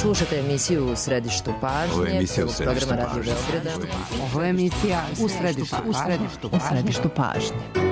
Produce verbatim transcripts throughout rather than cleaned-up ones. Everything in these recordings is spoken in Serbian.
Slušate emisiju U središtu pažnje, programa Radio Beograda. Ovo je emisija U središtu, u središtu, u središtu pažnje.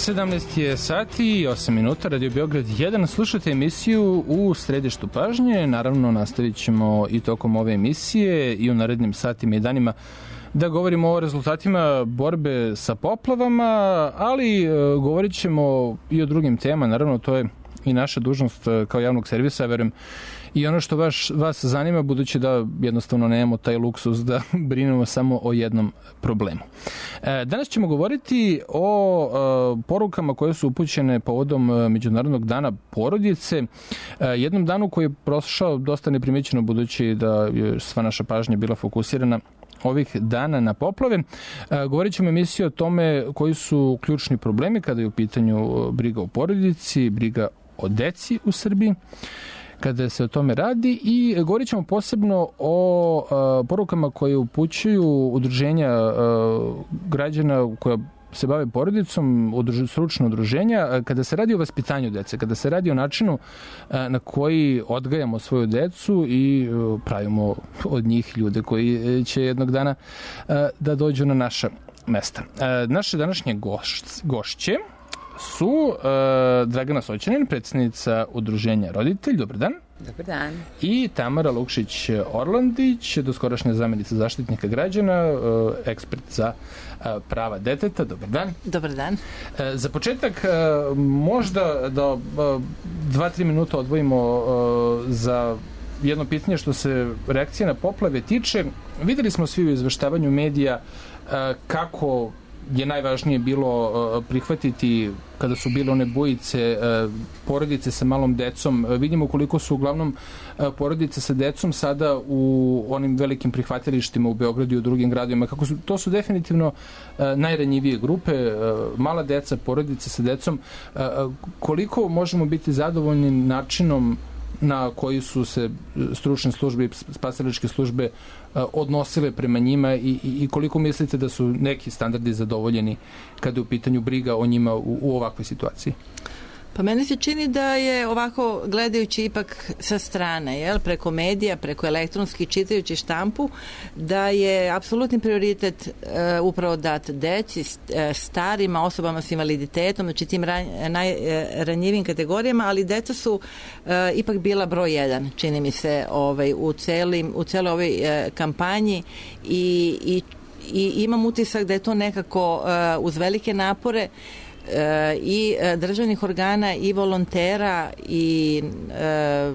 sedamnaest je sati i osam minuta, Radio Beograd jedan. Slušate emisiju U središtu pažnje. Naravno, nastavit ćemo i tokom ove emisije i u narednim satima i danima da govorimo o rezultatima borbe sa poplavama, ali e, govorit ćemo i o drugim temama. Naravno, to je i naša dužnost kao javnog servisa, verujem, i ono što vaš, vas zanima, budući da jednostavno nemamo taj luksus da brinemo samo o jednom problemu. E, danas ćemo govoriti o e, porukama koje su upućene povodom Međunarodnog dana porodice, e, jednom danu koji je prošao dosta neprimećeno, budući da je sva naša pažnja bila fokusirana ovih dana na poplave. E, govorit ćemo emisiju o tome koji su ključni problemi kada je u pitanju briga o porodici, briga o deci u Srbiji, kada se o tome radi, i govorit ćemo posebno o a, porukama koje upućuju udruženja a, građana koja se bave porodicom, udruž, stručno udruženja, a, kada se radi o vaspitanju dece, kada se radi o načinu a, na koji odgajamo svoju decu i a, pravimo od njih ljude koji će jednog dana a, da dođu na naša mesta. A, naše današnje goš, gošće su uh, Dragana Soćanin, predsjednica udruženja Roditelj. Dobar dan. Dobar dan. I Tamara Lukšić-Orlandić, doskorašnja zamjenica zaštitnika građana, uh, ekspert za uh, prava deteta. Dobar dan. Dobar dan. Uh, za početak uh, možda da uh, dva, tri minuta odvojimo uh, za jedno pitanje što se reakcije na poplave tiče. Videli smo svi u izveštavanju medija uh, kako je najvažnije bilo uh, prihvatiti kada su bile one bojice uh, porodice sa malom decom. Uh, vidimo koliko su uglavnom uh, porodice sa decom sada u onim velikim prihvatilištima u Beogradu i u drugim gradovima. Kako su, to su definitivno uh, najranjivije grupe, uh, mala deca, porodice sa decom. Uh, koliko možemo biti zadovoljni načinom na koji su se stručne službe i spasilačke službe odnosile prema njima i, i koliko mislite da su neki standardi zadovoljeni kada je u pitanju briga o njima u, u ovakvoj situaciji? Pa meni se čini da je ovako gledajući ipak sa strane, jel, preko medija, preko elektronski, čitajući štampu, da je apsolutni prioritet e, upravo dat deci, starima, osobama s invaliditetom, znači tim ran, najranjivim kategorijama, ali deca su e, ipak bila broj jedan, čini mi se, ovaj, u, celim, u celoj ovoj e, kampanji i, i, i imam utisak da je to nekako e, uz velike napore i državnih organa i volontera i e,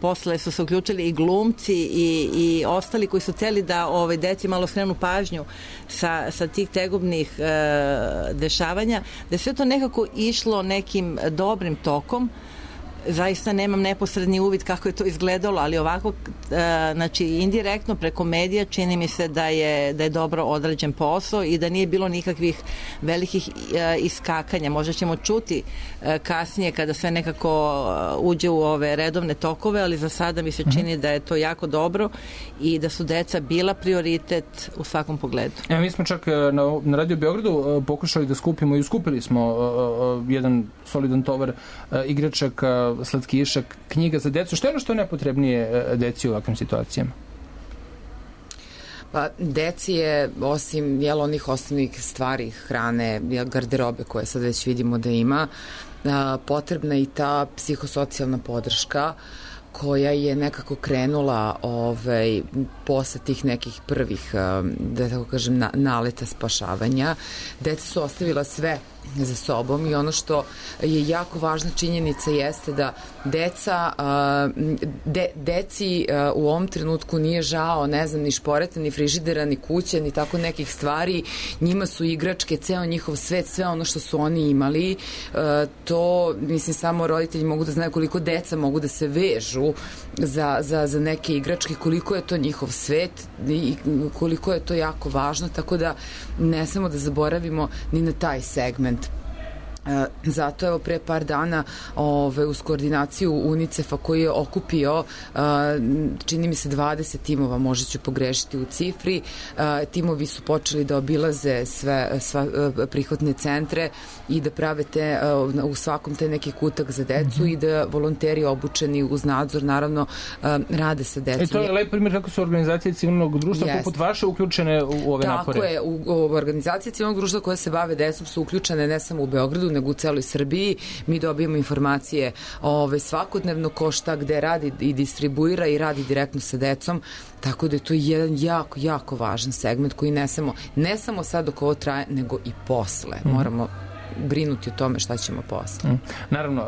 posle su se uključili i glumci i, i ostali koji su hteli da ove deci malo skrenu pažnju sa, sa tih tegobnih e, dešavanja, da je sve to nekako išlo nekim dobrim tokom. Zaista nemam neposredni uvid kako je to izgledalo, ali ovako, znači indirektno preko medija čini mi se da je, da je dobro odrađen posao i da nije bilo nikakvih velikih iskakanja. Možda ćemo čuti kasnije kada sve nekako uđe u ove redovne tokove, ali za sada mi se čini da je to jako dobro i da su deca bila prioritet u svakom pogledu. Ja, mi smo čak na, na Radio Beogradu pokušali da skupimo i skupili smo jedan solidan tovar igračaka, slatkiša, knjiga za decu. Što je ono što je najpotrebnije deci u ovakvim situacijama? Pa, deci je, osim jel, onih osnovnih stvari, hrane, garderobe koje sad već vidimo da ima, potrebna i ta psihosocijalna podrška koja je nekako krenula ovaj, posle tih nekih prvih, da tako kažem, na, naleta spašavanja. Deca su ostavila sve za sobom i ono što je jako važna činjenica jeste da deca, de, deci u ovom trenutku nije žao, ne znam, ni šporeta, ni frižidera, ni kuće, ni tako nekih stvari. Njima su igračke, ceo njihov svet, sve ono što su oni imali. To, mislim, samo roditelji mogu da znaju koliko deca mogu da se vežu za, za, za neke igračke, koliko je to njihov svet i koliko je to jako važno, tako da ne samo da zaboravimo ni na taj segment. Zato evo pre par dana ove, uz koordinaciju UNICEF-a koji je okupio čini mi se dvadeset timova, možda ću pogrešiti u cifri, timovi su počeli da obilaze sve sva, prihvatne centre i da prave te, u svakom te neki kutak za decu mm-hmm. i da volonteri obučeni uz nadzor naravno rade sa decom. E to je lep primjer kako su organizacije civilnog društva yes. poput vaše uključene u ove Tako napore. Tako je, u, u organizacije civilnog društva koje se bave decom su uključene ne samo u Beogradu, nego u celoj Srbiji. Mi dobijemo informacije ove, svakodnevno ko šta gde radi i distribuira i radi direktno sa decom, tako da je to jedan jako, jako važan segment koji ne samo, ne samo sad dok ovo traje, nego i posle. Mm. Moramo brinuti o tome šta ćemo posle. Mm. Naravno,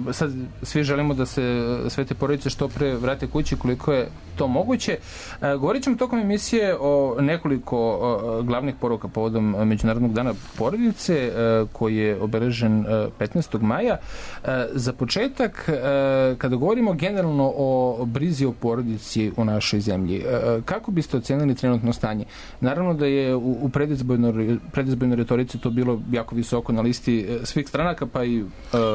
uh, sad svi želimo da se sve te porodice što pre vrate kući koliko je to moguće. Uh, govorit ćemo tokom emisije o nekoliko uh, glavnih poruka povodom Međunarodnog dana porodice uh, koji je obeležen uh, petnaestog maja. Uh, za početak, uh, kada govorimo generalno o brizi o porodici u našoj zemlji, uh, kako biste ocenili trenutno stanje? Naravno da je u, u predizbojnoj, predizbojnoj retorici to bilo jako visoko na listi svih stranaka, pa i... Uh,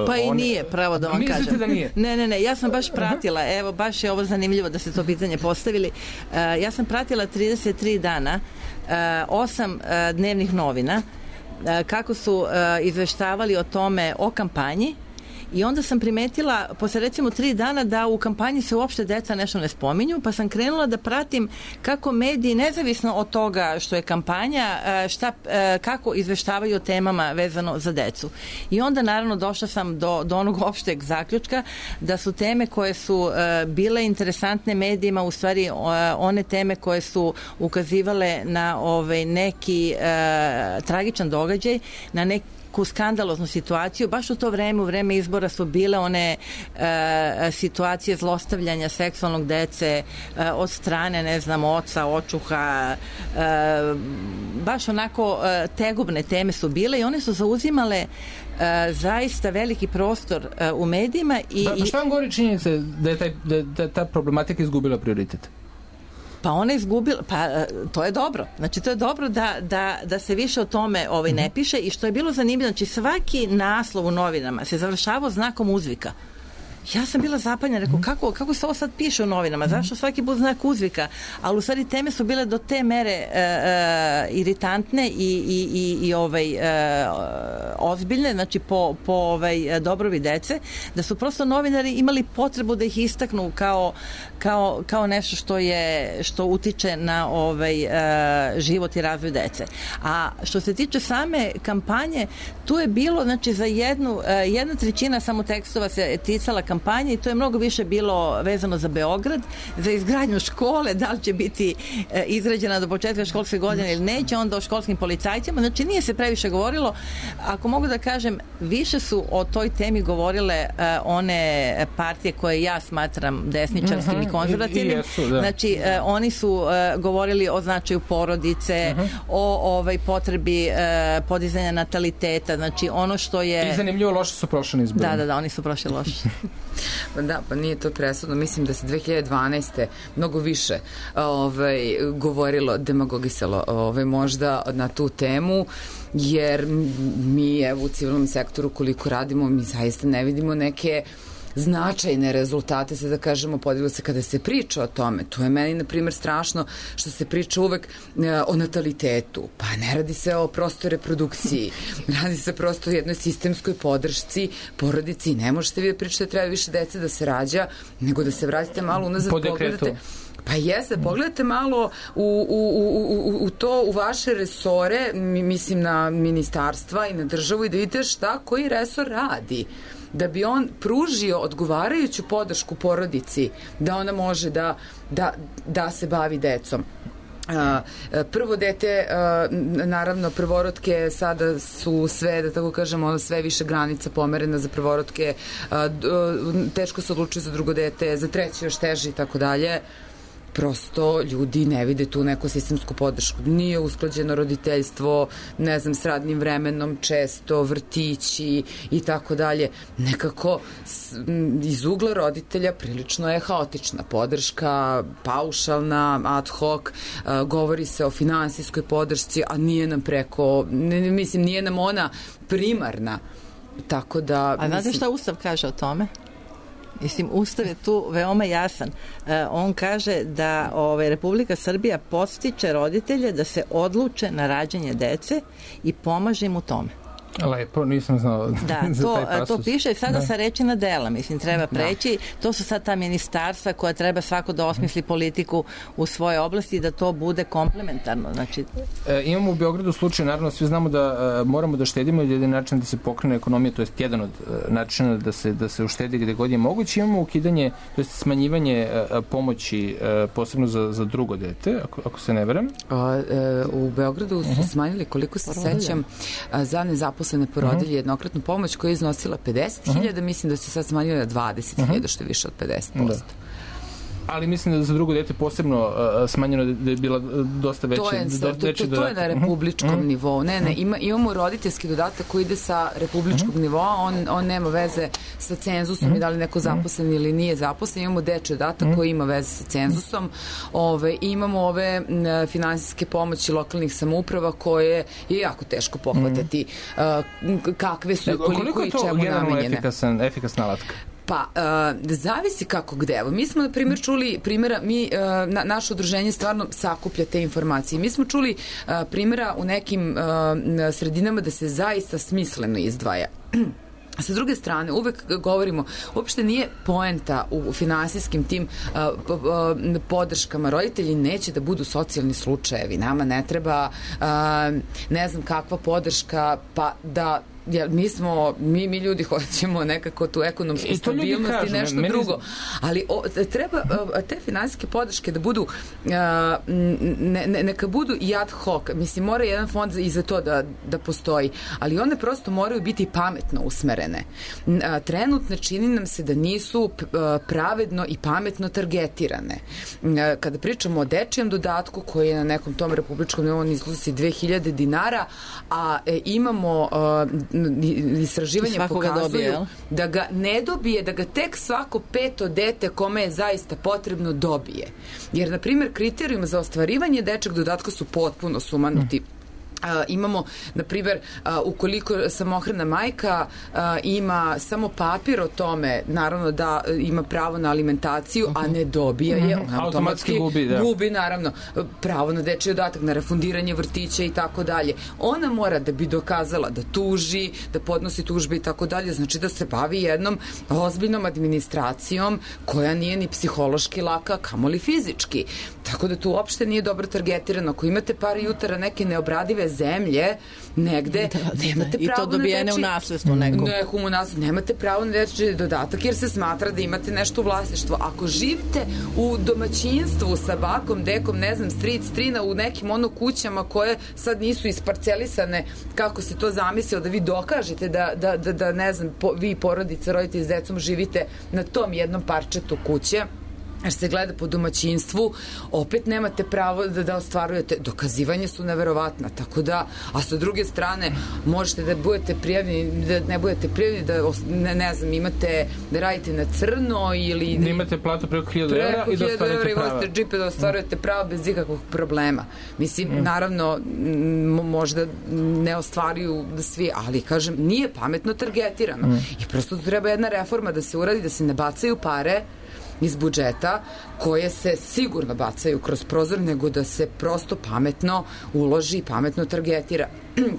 pa i one... nije, pravo da vam Mislite kažem. Da nije? Ne, ne, ne, ja sam baš pratila, evo, baš je ovo zanimljivo da ste to pitanje postavili. Uh, ja sam pratila trideset tri dana, uh, osam uh, dnevnih novina, uh, kako su uh, izveštavali o tome, o kampanji, i onda sam primetila, posle recimo tri dana, da u kampanji se uopšte deca nešto ne spominju, pa sam krenula da pratim kako mediji, nezavisno od toga što je kampanja, šta, kako izveštavaju o temama vezano za decu. I onda naravno došla sam do, do onog opšteg zaključka da su teme koje su bile interesantne medijima u stvari one teme koje su ukazivale na ovaj neki tragičan događaj, na neki ku skandaloznu situaciju. Baš u to vreme, u vreme izbora su bile one e, situacije zlostavljanja seksualnog dece e, od strane, ne znam, oca, očuha. E, baš onako e, tegobne teme su bile i one su zauzimale e, zaista veliki prostor e, u medijima. I, ba, ba šta vam govori činjenica da je, taj, da, da ta problematika izgubila prioritet? Pa ona je izgubila, pa to je dobro. Znači to je dobro da, da, da se više o tome ovaj, ne piše i što je bilo zanimljivo, znači svaki naslov u novinama se završavao znakom uzvika. Ja sam bila zapanjena, rekao, kako, kako se ovo sad piše u novinama, zašto svaki put znak uzvika, ali u stvari teme su bile do te mere e, e, iritantne i, i, i, i ovaj, e, ozbiljne, znači po, po ovaj, dobrovi dece, da su prosto novinari imali potrebu da ih istaknu kao, kao, kao nešto što je, što utiče na ovaj, e, život i razvoj dece. A što se tiče same kampanje, tu je bilo, znači za jednu, e, jedna trećina samo tekstova se ticala kampanje i to je mnogo više bilo vezano za Beograd, za izgradnju škole, da li će biti e, izgrađena do početka školske godine ili neće, onda o školskim policajcima, znači nije se previše govorilo. Ako mogu da kažem, više su o toj temi govorile e, one partije koje ja smatram desničarskim uh-huh. i konzervativnim. I jesu, da. Znači, e, oni su e, govorili o značaju porodice, uh-huh. o ovaj, potrebi e, podizanja nataliteta, znači ono što je... I zanimljivo, loše su prošli izbori. Da, da, da, oni su prošli loše. Pa da, pa nije to presudno. Mislim da se dve hiljade dvanaeste mnogo više ovaj, govorilo, demagogisalo ovaj, možda na tu temu, jer mi evo u civilnom sektoru koliko radimo, mi zaista ne vidimo neke značajne rezultate, sad da kažemo, podiglo se kada se priča o tome. To je meni, na primjer, strašno što se priča uvek e, o natalitetu. Pa ne radi se o prostoj reprodukciji. Radi se prosto o jednoj sistemskoj podršci porodici. Ne možete vi da pričate da treba više dece da se rađa, nego da se vratite malo unazad, pogledate. Pa jeste, pogledajte malo u, u, u, u to, u vaše resore, mislim na ministarstva i na državu, i da vidite šta koji resor radi, da bi on pružio odgovarajuću podršku porodici, da ona može da, da, da se bavi decom. Uh, prvo dete, uh, naravno prvorodke sada su sve, da tako kažemo, sve više granica pomerena za prvorodke, uh, teško se odlučuju za drugo dete, za treće još teže i tako dalje. Prosto ljudi ne vide tu neku sistemsku podršku. Nije usklađeno roditeljstvo, ne znam, s radnim vremenom, često vrtići i tako dalje. Nekako iz ugla roditelja prilično je haotična podrška, paušalna, ad hoc, govori se o finansijskoj podršci, a nije nam preko, ne, mislim, nije nam ona primarna. Tako da... A znate šta Ustav kaže o tome? Mislim, Ustav je tu veoma jasan. E, on kaže da ove, Republika Srbija podstiče roditelje da se odluče na rađanje dece i pomaže im u tome. Lepo, nisam znao da, za to, taj pasus. to piše sada da. Sa reči na dela, mislim, treba preći. Da. To su sad ta ministarstva koja treba svako da osmisli politiku u svoje oblasti i da to bude komplementarno. Znači... E, imamo u Beogradu slučaj, naravno, svi znamo da e, moramo da štedimo, jedan način da se pokrene ekonomija, to je jedan od e, načina da se, da se uštedi gde god je moguće. Imamo ukidanje, to je smanjivanje e, pomoći, e, posebno za, za drugo dete, ako, ako se ne veram. A, e, u Beogradu su uh-huh. smanjili, koliko se Porodilja. sećam, a, za nezaposlenost zaposlene porodilje uh-huh. jednokratnu pomoć koja je iznosila pedeset hiljada, uh-huh. mislim da se sad smanjuje na dvadeset hiljada, uh-huh. što je više od pedeset posto. Da. Ali mislim da za drugo dete posebno uh, smanjeno da je bila dosta veća. To je, do, to, to, to je na republičkom uh-huh. nivou. Ne, ne, ima, imamo roditeljski dodatak koji ide sa republičkog uh-huh. nivoa, on, on nema veze sa cenzusom uh-huh. i da li neko zaposlen ili nije zaposlen. Imamo dečji dodatak uh-huh. koji ima veze sa cenzusom. Ove, imamo ove finansijske pomoći lokalnih samouprava koje je jako teško pohvatati uh, kakve su i koliko, koliko i čemu namenjene. Koliko je to efikasan, efikasna alatka? Pa, uh, zavisi kako gde. Evo, mi smo, na primjer, čuli primjera, mi, uh, na, naše udruženje stvarno sakuplja te informacije. Mi smo čuli uh, primjera u nekim uh, sredinama da se zaista smisleno izdvaja. A sa druge strane, uvek govorimo, uopšte nije poenta u finansijskim tim uh, uh, podrškama. Roditelji neće da budu socijalni slučajevi. Nama ne treba uh, ne znam kakva podrška, pa da jer mi smo, mi, mi ljudi hoćemo nekako tu ekonomsku I stabilnost kažu, i nešto meni... drugo. Ali o, treba te finansijske podrške da budu ne, ne, neka budu i ad hoc. Mislim, mora jedan fond i za to da, da postoji. Ali one prosto moraju biti pametno usmerene. Trenutno čini nam se da nisu pravedno i pametno targetirane. Kada pričamo o dečijem dodatku koji je na nekom tom republičkom nivou iznosi dve hiljade dinara, a imamo istraživanje pokazuju dobije, da ga ne dobije, da ga tek svako peto dete kome je zaista potrebno dobije. Jer, na primjer, kriterijum za ostvarivanje dečeg dodatka su potpuno sumanuti. Uh, imamo, na primjer, uh, ukoliko samohrana majka uh, ima samo papir o tome, naravno da uh, ima pravo na alimentaciju, uh-huh. a ne dobija je, uh-huh. automatski, automatski gubi, da. gubi, naravno, pravo na dečji dodatak, na refundiranje vrtića i tako dalje. Ona mora da bi dokazala da tuži, da podnosi tužbe i tako dalje, znači da se bavi jednom ozbiljnom administracijom koja nije ni psihološki laka, kamoli fizički. Tako da tu uopšte nije dobro targetirano. Ako imate par jutara neke neobradive zemlje negde, da, da, nemate da. pravo I to dobijene na dečji, u nasledstvo nekom. Nekom u nasledstvo. Nemate pravo na dečji dodatak jer se smatra da imate nešto u vlasništvu. Ako živite u domaćinstvu sa bakom, dekom, ne znam, stric, strina, u nekim ono kućama koje sad nisu isparcelisane, kako se to zamislio, da vi dokažete da, da, da, da ne znam, po, vi porodica, roditelji s decom živite na tom jednom parčetu kuće, jer se gleda po domaćinstvu, opet nemate pravo da, da ostvarujete. Dokazivanje su neverovatna, tako da, a sa druge strane, možete da budete prijavljeni, da ne budete prijavljeni, da, ne, ne znam, imate, da radite na crno ili... Da imate platu preko hiljadu evra i da ostvarujete prava. Preko džipe da ostvarujete prava bez ikakvog problema. Mislim, mm. naravno, možda ne ostvaruju svi, ali, kažem, nije pametno targetirano. Mm. I prosto treba jedna reforma da se uradi, da se ne bacaju pare iz budžeta koje se sigurno bacaju kroz prozor, nego da se prosto pametno uloži i pametno targetira.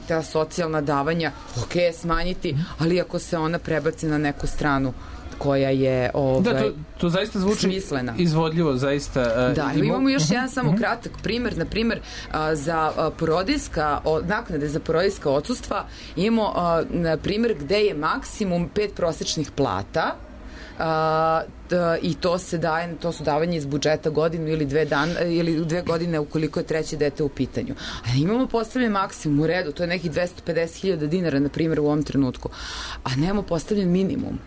Ta socijalna davanja, ok, smanjiti, ali ako se ona prebaci na neku stranu koja je ovaj, da, to, to zaista zvuči smislena. Izvodljivo, zaista. Uh, da, imamo, imamo još jedan samo kratak primer, na primer, uh, za uh, porodiljska, uh, naknade za porodiljska odsustva, imamo uh, na primer gde je maksimum pet prosečnih plata, Uh, da, i to se daje, to su davanje iz budžeta godinu ili dve dan, ili dve godine ukoliko je treće dete u pitanju. A imamo postavljen maksimum u redu, to je nekih dvesta pedeset hiljada dinara, na primjer, u ovom trenutku. A nemamo postavljen minimum.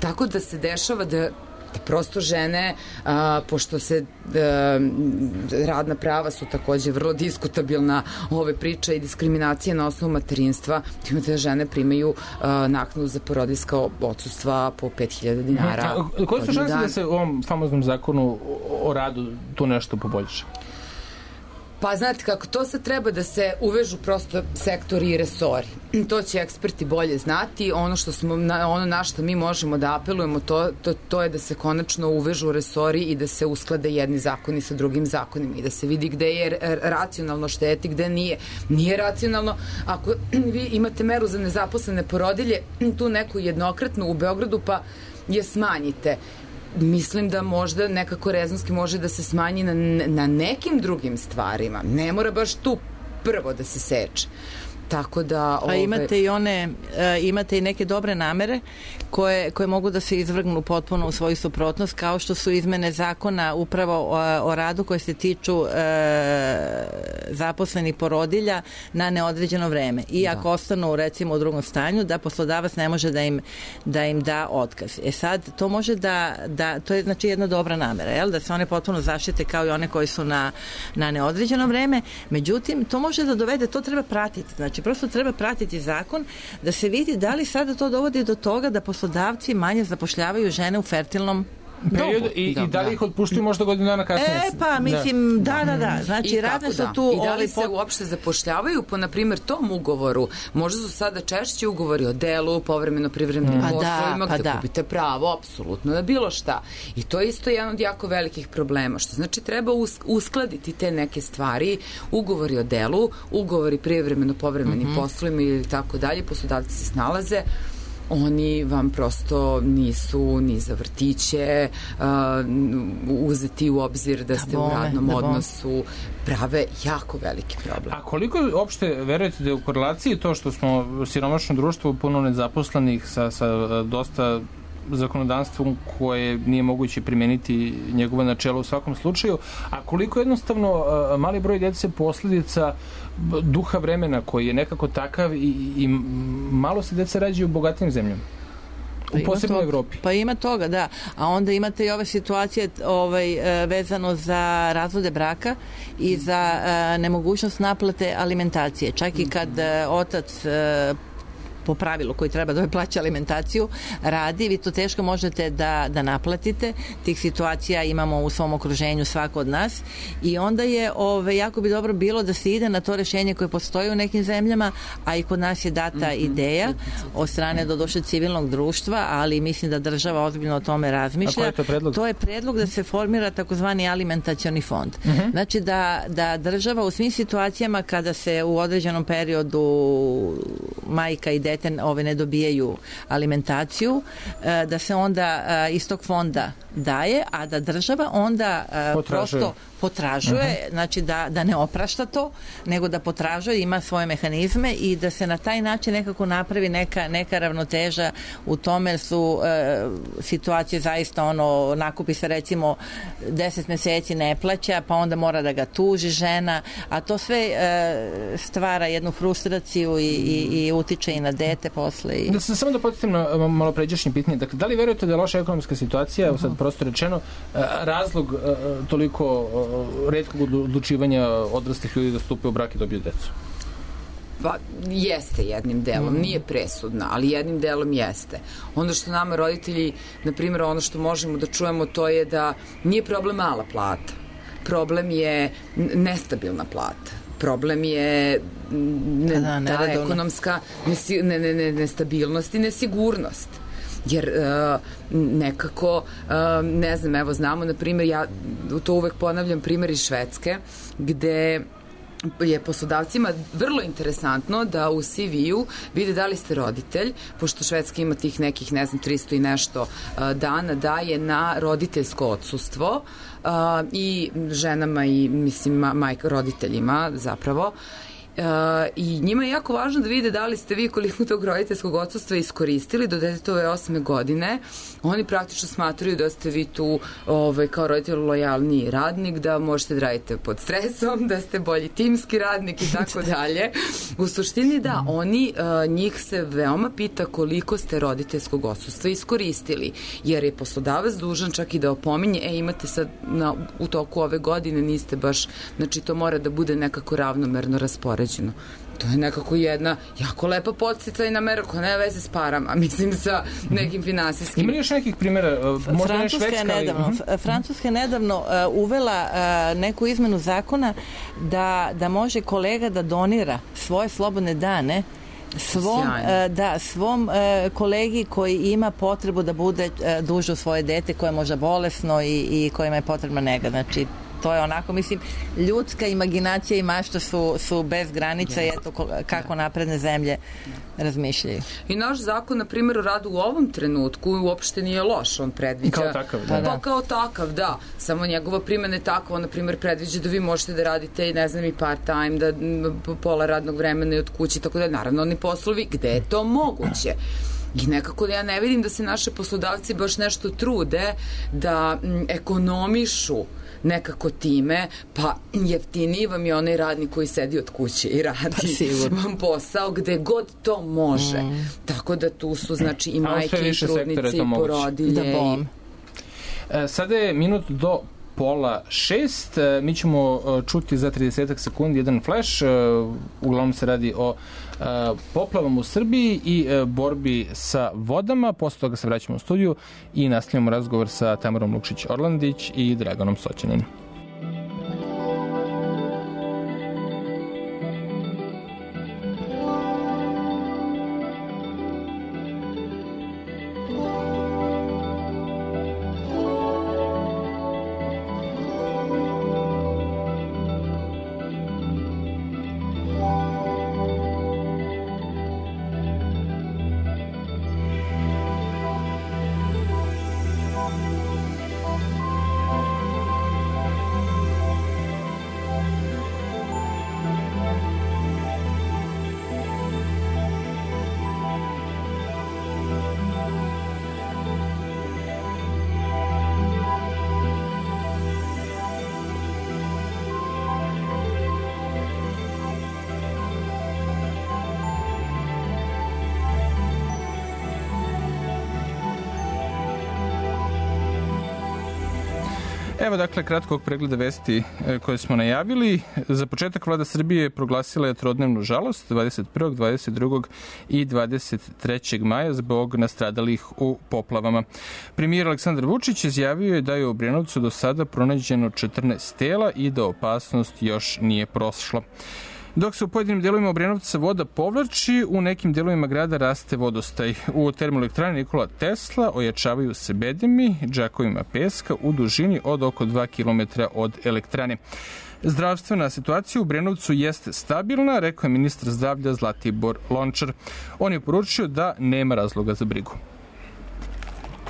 Tako da se dešava da da prosto žene, a, pošto se a, radna prava su takođe vrlo diskutabilna ove priče i diskriminacija na osnovu materinstva, imate da žene primaju a, naknadu za porodiljska odsustva po pet hiljada dinara. A, koje su šanse da se u ovom famoznom zakonu o, o radu tu nešto poboljša? Pa znate kako, to sad treba da se uvežu prosto sektori i resori. To će eksperti bolje znati. Ono što smo, ono na što mi možemo da apelujemo, to, to, to je da se konačno uvežu resori i da se usklade jedni zakoni sa drugim zakonima i da se vidi gde je racionalno šteti, gde nije. Nije racionalno ako vi imate meru za nezaposlene porodilje, tu neku jednokratnu u Beogradu, pa je smanjite. Mislim da možda nekako rezonski može da se smanji na, na nekim drugim stvarima. Ne mora baš tu prvo da se seče. Tako da... Ove... A imate i one, uh, imate i neke dobre namere koje, koje mogu da se izvrgnu potpuno u svoju suprotnost, kao što su izmene zakona upravo o, o radu koje se tiču uh, zaposlenih porodilja na neodređeno vreme. I ako da. ostanu recimo u drugom stanju, da poslodavac ne može da im da, im da otkaz. E sad, to može da, da to je znači jedna dobra namera, jel? Da se one potpuno zaštite kao i one koji su na, na neodređeno vreme. Međutim, to može da dovede, to treba pratiti. Znači, prosto treba pratiti zakon da se vidi da li sada to dovodi do toga da poslodavci manje zapošljavaju žene u fertilnom period i, da, i da li ih otpuštuju možda godinu dana kasnije? E, pa, mislim, da, da, da. Znači, radne su tu... I da li se pot... uopšte zapošljavaju po, na primjer, tom ugovoru? Možda su sada češći ugovori o delu, povremeno privremenim mm. poslovima, pa gde da. kupite pravo, apsolutno, na bilo šta. I to je isto jedan od jako velikih problema, što znači treba uskladiti te neke stvari, ugovori o delu, ugovori privremeno povremenim mm-hmm. poslovima ili tako dalje, poslodavci se snalaze, oni vam prosto nisu ni za vrtiće uh, uzeti u obzir da ste da bome, u radnom da odnosu, prave jako veliki problem. A koliko uopšte verujete da je u korelaciji to što smo siromašno društvo puno nezaposlenih sa, sa dosta zakonodavstvom koje nije moguće primeniti njegove načelo u svakom slučaju, a koliko jednostavno mali broj djece posljedica duha vremena koji je nekako takav i, i malo se djeca rađaju u bogatijim zemljama. U pa posebnoj Evropi. Pa ima toga, da. A onda imate i ove situacije ovaj, vezano za razvode braka i za uh, nemogućnost naplate alimentacije. Čak i kad uh, otac uh, po pravilu koji treba da plaća alimentaciju radi, vi to teško možete da, da naplatite. Tih situacija imamo u svom okruženju svako od nas i onda je ove, jako bi dobro bilo da se ide na to rešenje koje postoji u nekim zemljama, a i kod nas je data mm-hmm. ideja od strane doduše civilnog društva, ali mislim da država ozbiljno o tome razmišlja. A koji je to predlog? To je predlog da se formira takozvani alimentacioni fond. Mm-hmm. Znači da, da država u svim situacijama kada se u određenom periodu majka i dete ove ne dobijaju alimentaciju, da se onda iz tog fonda daje, a da država onda potražuje. prosto potražuje, uh-huh. znači da, da ne oprašta to, nego da potražuje, ima svoje mehanizme i da se na taj način nekako napravi neka, neka ravnoteža u tome su e, situacije zaista ono, nakupi se recimo deset meseci ne plaća, pa onda mora da ga tuži žena, a to sve e, stvara jednu frustraciju i, i, i utiče i na dete posle. I... Da se samo da podsjetim na malo pređašnje pitanje, dakle, da li verujete da je loša ekonomska situacija, uh-huh. sad prosto rečeno, razlog toliko retkog odlučivanja odraslih ljudi da stupe u brak i dobiju decu? Pa, jeste jednim delom, nije presudna, ali jednim delom jeste. Ono što nama roditelji, na primjer, ono što možemo da čujemo, to je da nije problem mala plata. Problem je nestabilna plata. Problem je ne, da, ta ekonomska nesi, ne, ne, ne, nestabilnost i nesigurnost. Jer uh, nekako, uh, ne znam, evo znamo, na primjer, ja to uvek ponavljam, primjer iz Švedske, gde je poslodavcima vrlo interesantno da u C V-u vide da li ste roditelj, pošto Švedska ima tih nekih, ne znam, tristo i nešto uh, dana daje na roditeljsko odsustvo uh, i ženama i, mislim, majka, roditeljima zapravo. Uh, i njima je jako važno da vide da li ste vi koliko tog roditeljskog odsustva iskoristili do detetove osme godine. Oni praktično smatraju da ste vi tu ovaj, kao roditelj lojalniji radnik, da možete da radite pod stresom, da ste bolji timski radnik i tako dalje. U suštini da, oni, uh, njih se veoma pita koliko ste roditeljskog odsustva iskoristili, jer je poslodavac dužan čak i da opominje, e imate sad na, u toku ove godine niste baš, znači to mora da bude nekako ravnomerno raspoređeno. To je nekako jedna jako lepa podsticajna mera koja nema veze s parama, mislim sa nekim finansijskim. Ima li još nekih primjera? Možda ne Švedska, je nedavno, ali... Francuska je nedavno uh, uvela uh, neku izmenu zakona da, da može kolega da donira svoje slobodne dane svom, uh, da, svom uh, kolegi koji ima potrebu da bude uh, duže u svoje dete koje je možda bolesno i, i kojima je potrebna nega. Znači, to je onako, mislim, ljudska imaginacija i mašta su, su bez granica i eto kako napredne zemlje razmišljaju. I naš zakon, na primjer, o radu u ovom trenutku uopšte nije loš, on predviđa... Kao takav, da. Pa kao takav, da. Samo njegova primjena je takva, on, na primjer, predviđa da vi možete da radite, ne znam, i part-time, da pola radnog vremena i od kuće, tako da, naravno, oni poslovi gde je to moguće. I nekako ja ne vidim da se naše poslodavci baš nešto trude da m, ekonomišu nekako time, pa jeftiniji vam je onaj radnik koji sedi od kuće i radi vam posao gde god to može. Mm. Tako da tu su znači i majke i trudnice i porodilje. Da bom. E, sada je minut do pola šest. Mi ćemo čuti za trideset sekundi jedan flash. Uglavnom se radi o poplavama u Srbiji i borbi sa vodama. Posle toga se vraćamo u studiju i nastavljamo razgovor sa Tamarom Lukšić-Orlandić i Draganom Soćaninom. Evo dakle kratkog pregleda vesti koje smo najavili. Za početak vlada Srbije proglasila je trodnevnu žalost dvadeset prvog, dvadeset drugog i dvadeset trećeg maja zbog nastradalih u poplavama. Premijer Aleksandar Vučić izjavio je da je u Obrenovcu do sada pronađeno četrnaest tela i da opasnost još nije prošla. Dok se u pojedinim delovima Obrenovca voda povlači, u nekim delovima grada raste vodostaj. U termoelektrani Nikola Tesla ojačavaju se bedemi džakovima peska u dužini od oko dva kilometra od elektrane. Zdravstvena situacija u Obrenovcu jeste stabilna, rekao je ministar zdravlja Zlatibor Lončar. On je poručio da nema razloga za brigu.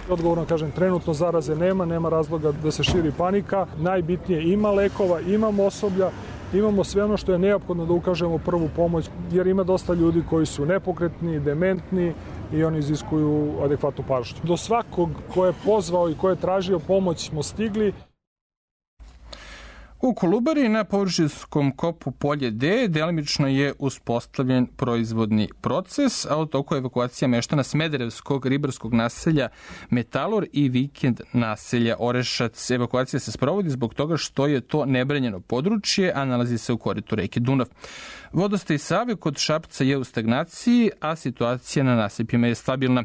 Odgovorno kažem, trenutno zaraze nema, nema razloga da se širi panika. Najbitnije, ima lekova, imamo osoblja, imamo sve ono što je neophodno da ukažemo prvu pomoć, jer ima dosta ljudi koji su nepokretni, dementni i oni iziskuju adekvatnu pažnju. Do svakog ko je pozvao i ko je tražio pomoć smo stigli. U Kolubari na površinskom kopu Polje D delimično je uspostavljen proizvodni proces, a u toku evakuacija meštana Smederevskog ribarskog naselja Metalor i vikend naselja Orešac. Evakuacija se sprovodi zbog toga što je to nebranjeno područje, a nalazi se u koritu reke Dunav. Vodostaj Save kod Šapca je u stagnaciji, a situacija na nasipima je stabilna.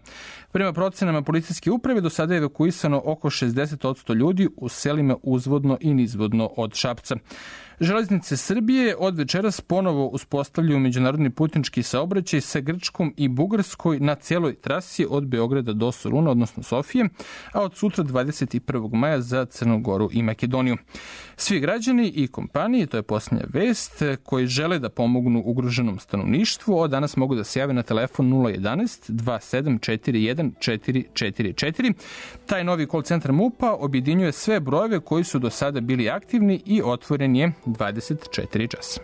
Prema procenama policijske uprave do sada je evakuisano oko šezdeset posto ljudi u selima uzvodno i nizvodno od Šapca. Železnice Srbije od večeras ponovo uspostavljaju međunarodni putnički saobraćaj sa Grčkom i Bugarskoj na celoj trasi od Beograda do Soluna, odnosno Sofije, a od sutra dvadeset prvog maja za Crnu Goru i Makedoniju. Svi građani i kompanije, to je posljednja vest, koji žele da pomognu ugroženom stanovništvu, od danas mogu da se jave na telefon nula jedanaest dva sedam četiri jedan četiri četiri četiri. Taj novi call centar MUP-a objedinjuje sve brojeve koji su do sada bili aktivni i otvoren je dvadeset četiri časa.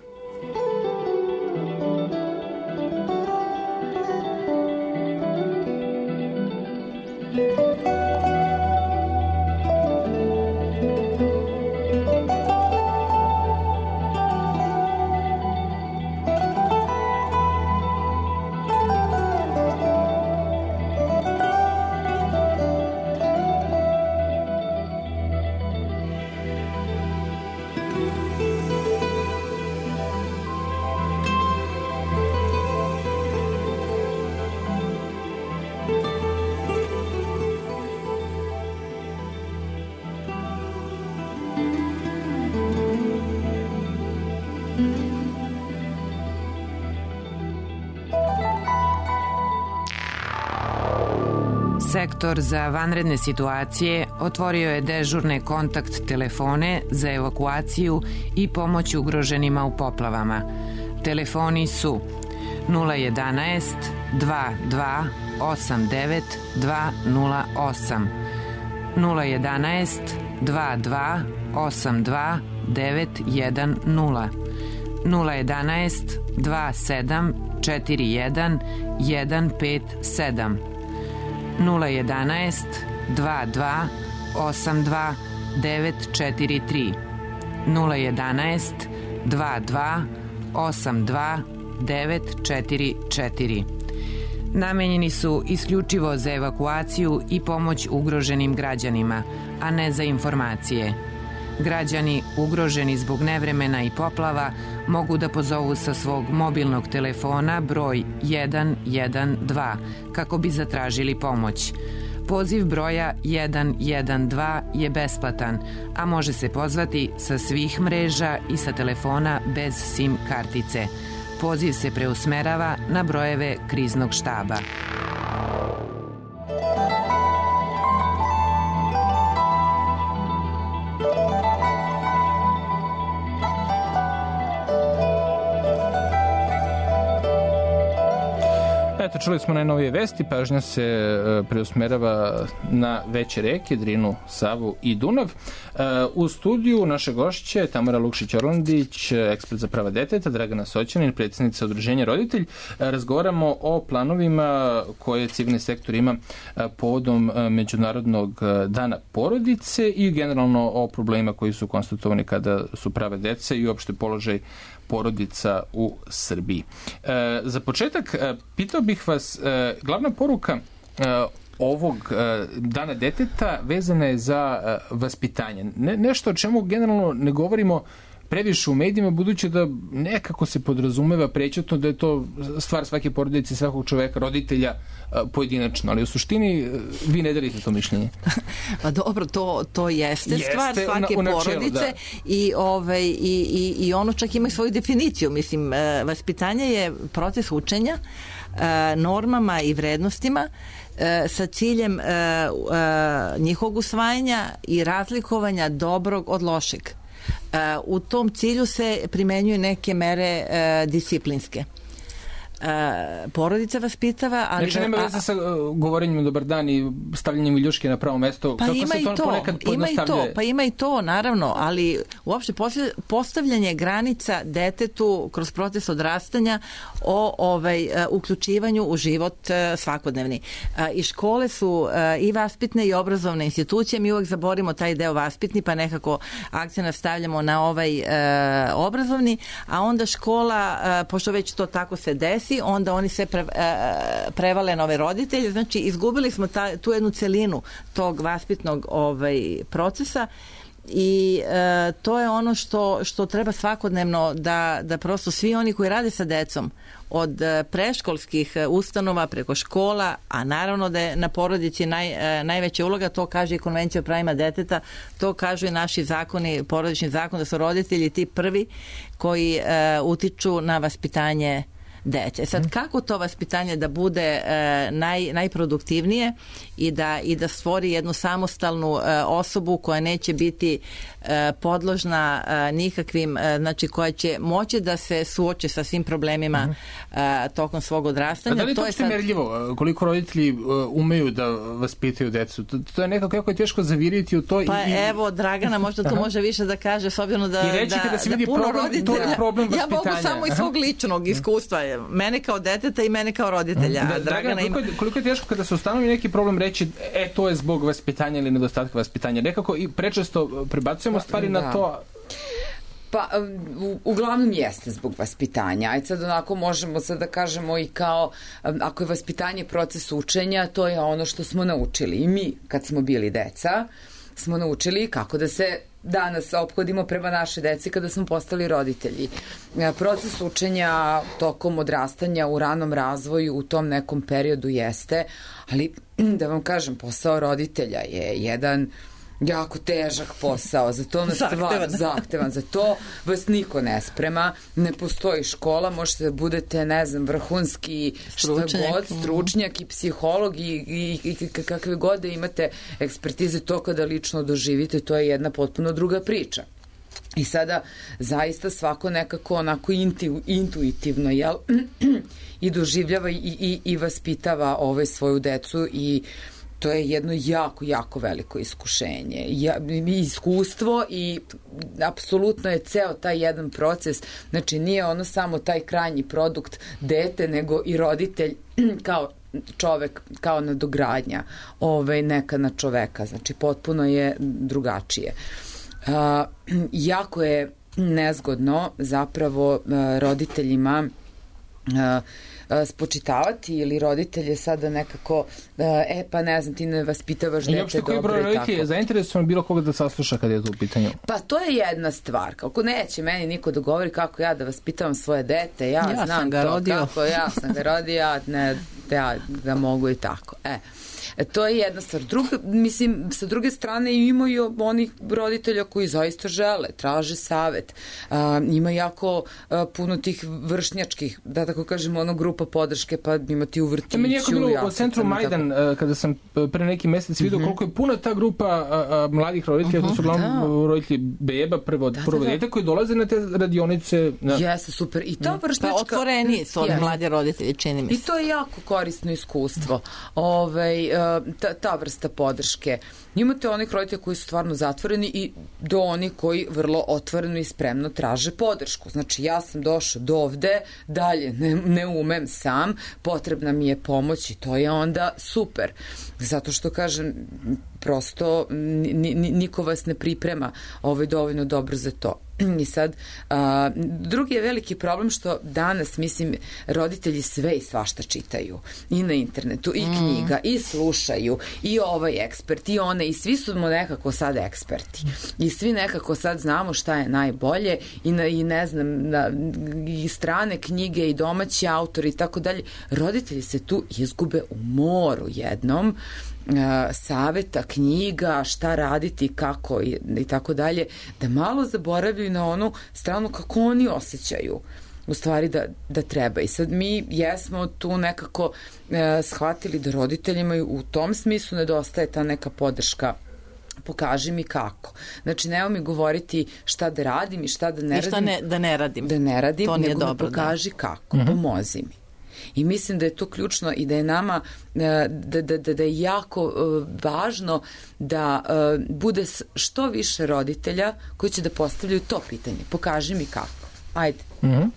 Sektor za vanredne situacije otvorio je dežurne kontakt telefone za evakuaciju i pomoć ugroženima u poplavama. Telefoni su nula jedanaest dva dva osam devet dva nula osam, nula jedanaest dva dva osam dva devet jedan nula, nula jedanaest dva sedam četiri jedan jedan pet sedam, nula jedanaest dva dva osam dva devet četiri tri, nula jedanaest dva dva osam dva devet četiri četiri. Namenjeni su isključivo za evakuaciju i pomoć ugroženim građanima, a ne za informacije. Građani ugroženi zbog nevremena i poplava mogu da pozovu sa svog mobilnog telefona broj jedan jedan dva kako bi zatražili pomoć. Poziv broja jedan jedan dva je besplatan, a može se pozvati sa svih mreža i sa telefona bez SIM kartice. Poziv se preusmerava na brojeve kriznog štaba. Eto, čuli smo najnovije vesti, pažnja se e, preusmerava na veće reke, Drinu, Savu i Dunav. E, u studiju naše gošće Tamara Lukšić-Orlandić, ekspert za prava deteta, Dragana Soćanin, predsjednica Udruženja Roditelj. E, razgovaramo o planovima koje civilni sektor ima e, povodom e, Međunarodnog dana porodice i generalno o problemima koji su konstatovani kada su prava dece i uopšte položaj porodica u Srbiji. E, za početak, e, pitao bih vas, e, glavna poruka e, ovog uh, dana deteta vezana je za uh, vaspitanje. Ne, nešto o čemu generalno ne govorimo previše u medijima, budući da nekako se podrazumeva prećutno da je to stvar svake porodice, svakog čoveka, roditelja pojedinačno, ali u suštini vi ne delite to mišljenje. Pa dobro, to, to jeste, jeste stvar svake u načelu, porodice da. i, ovaj, i, i, i ono čak ima svoju definiciju. Mislim, vaspitanje je proces učenja normama i vrednostima sa ciljem njihovog usvajanja i razlikovanja dobrog od lošeg. U tom cilju se primenjuju neke mere disciplinske. Porodica vaspitava, ali... Znači, nema veze sa govorenjem dobar dan i stavljanjem viljuške na pravo mesto. Pa kako ima se i to, to, ponekad ima i to, pa ima i to, naravno, ali uopšte postavljanje granica detetu kroz proces odrastanja o ovaj, uključivanju u život svakodnevni. I škole su i vaspitne i obrazovne institucije, mi uvek zaborimo taj deo vaspitni, pa nekako akcent stavljamo na ovaj obrazovni, a onda škola, pošto već to tako se desi, onda oni sve pre, prevale na ove roditelje, znači izgubili smo ta, tu jednu celinu tog vaspitnog ovaj, procesa i e, to je ono što, što treba svakodnevno da, da prosto svi oni koji rade sa decom od preškolskih ustanova preko škola, a naravno da je na porodici naj, najveća uloga, to kaže i Konvencija o pravima deteta, to kažu i naši zakoni, porodični zakon, da su roditelji ti prvi koji e, utiču na vaspitanje dece. Sad, kako to vaspitanje da bude e, naj, najproduktivnije i da, i da stvori jednu samostalnu e, osobu koja neće biti e, podložna e, nikakvim, e, znači koja će moći da se suoče sa svim problemima uh-huh. e, tokom svog odrastanja. A da li to, to je sad... merljivo? Koliko roditelji uh, umeju da vaspitaju decu? To, to je nekako jako je teško zaviriti u to. Pa i, evo, Dragana možda to može više da kaže, s obzirom da, i reći da, kada se da vidi puno problem, roditelja, to je problem vaspitanja. Ja mogu samo iz svog ličnog iskustva, mene kao deteta i mene kao roditelja. Da, Dragana, koliko, je, koliko je teško kada se ustanovi neki problem reći, e, to je zbog vaspitanja ili nedostatka vaspitanja. Nekako i prečesto prebacujemo stvari da. na to. Pa, u, uglavnom jeste zbog vaspitanja. Ajde sad onako možemo sad da kažemo i kao, ako je vaspitanje proces učenja, to je ono što smo naučili. I mi, kad smo bili deca, smo naučili kako da se danas ophodimo prema naše deci kada smo postali roditelji. Proces učenja tokom odrastanja u ranom razvoju u tom nekom periodu jeste, ali da vam kažem, posao roditelja je jedan jako težak posao, za to nas stvar zahtevan, za to vas niko ne sprema, ne postoji škola, možete da budete, ne znam, vrhunski stručnjak, šta god, stručnjak i psiholog i, i, i kakve god da imate ekspertize, to kada lično doživite, to je jedna potpuno druga priča. I sada zaista svako nekako onako intu, intuitivno jel, i doživljava i, i, i vaspitava ove svoju decu i to je jedno jako, jako veliko iskušenje. Ja, iskustvo i apsolutno je ceo taj jedan proces, znači nije ono samo taj krajnji produkt dete, nego i roditelj kao čovek, kao nadogradnja ovaj, neka na čoveka, znači potpuno je drugačije. Uh, jako je nezgodno zapravo uh, roditeljima uh, spočitavati ili roditelje sada nekako e pa ne znam ti ne vaspitavaš dete dobro i tako. I uopšte koji broj roditelja je zainteresovan bilo koga da sasluša kad je to u pitanju? Pa to je jedna stvar. Kako neće meni niko da govori kako ja da vaspitavam svoje dete, ja, ja znam to rodio. kako ja sam ga rodio, ne, ja ga mogu i tako. E. To je jedna stvar. Druga, mislim, sa druge strane imaju onih roditelja koji zaista žele, traže savet. Uh, ima jako uh, puno tih vršnjačkih, da tako kažemo, ono grupa podrške, pa ima ti u vrtiću. Meni je jako bilo ja u centru Majdan, tako... kada sam pre neki mesec vidio uh-huh. koliko je puna ta grupa a, a, mladih roditelja, uh-huh, to su uglavnom da. roditelji beba, prvo, da, prvo da, dete, koji dolaze na te radionice. Na... Jeste, super. I ta vršnjačka... Pa otvoreni su oni mladi roditelji, čini mi se. I to je jako korisno iskustvo. Ovaj, ta, ta vrsta podrške. Imate onih roditelja koji su stvarno zatvoreni i do onih koji vrlo otvoreno i spremno traže podršku. Znači, ja sam došao do ovde, dalje ne, ne umem sam, potrebna mi je pomoć i to je onda super. Zato što, kažem, prosto niko vas ne priprema ovaj dovoljno dobro za to. I sad, a, drugi je veliki problem što danas, mislim, roditelji sve i svašta čitaju. I na internetu, i knjiga, mm. i slušaju, i ovaj ekspert, i one, i svi su nekako sad eksperti. I svi nekako sad znamo šta je najbolje, i, na, i ne znam, na, i strane knjige, i domaći autori, i tako dalje. Roditelji se tu izgube u moru jednom, saveta, knjiga, šta raditi, kako i, i tako dalje, da malo zaboravljaju na onu stranu kako oni osjećaju u stvari da, da treba. I sad mi jesmo tu nekako e, shvatili da roditeljima u tom smislu nedostaje ta neka podrška. Pokaži mi kako. Znači, nema mi govoriti šta da radim i šta da ne I šta radim. Ne, da ne radim. Da ne radim, to nego dobro, mi pokaži da. kako. Uh-huh. Pomozi mi. I mislim da je to ključno i da je nama da, da, da, da je jako uh, važno da uh, bude što više roditelja koji će da postavljaju to pitanje. Pokaži mi kako. Ajde. Mm-hmm.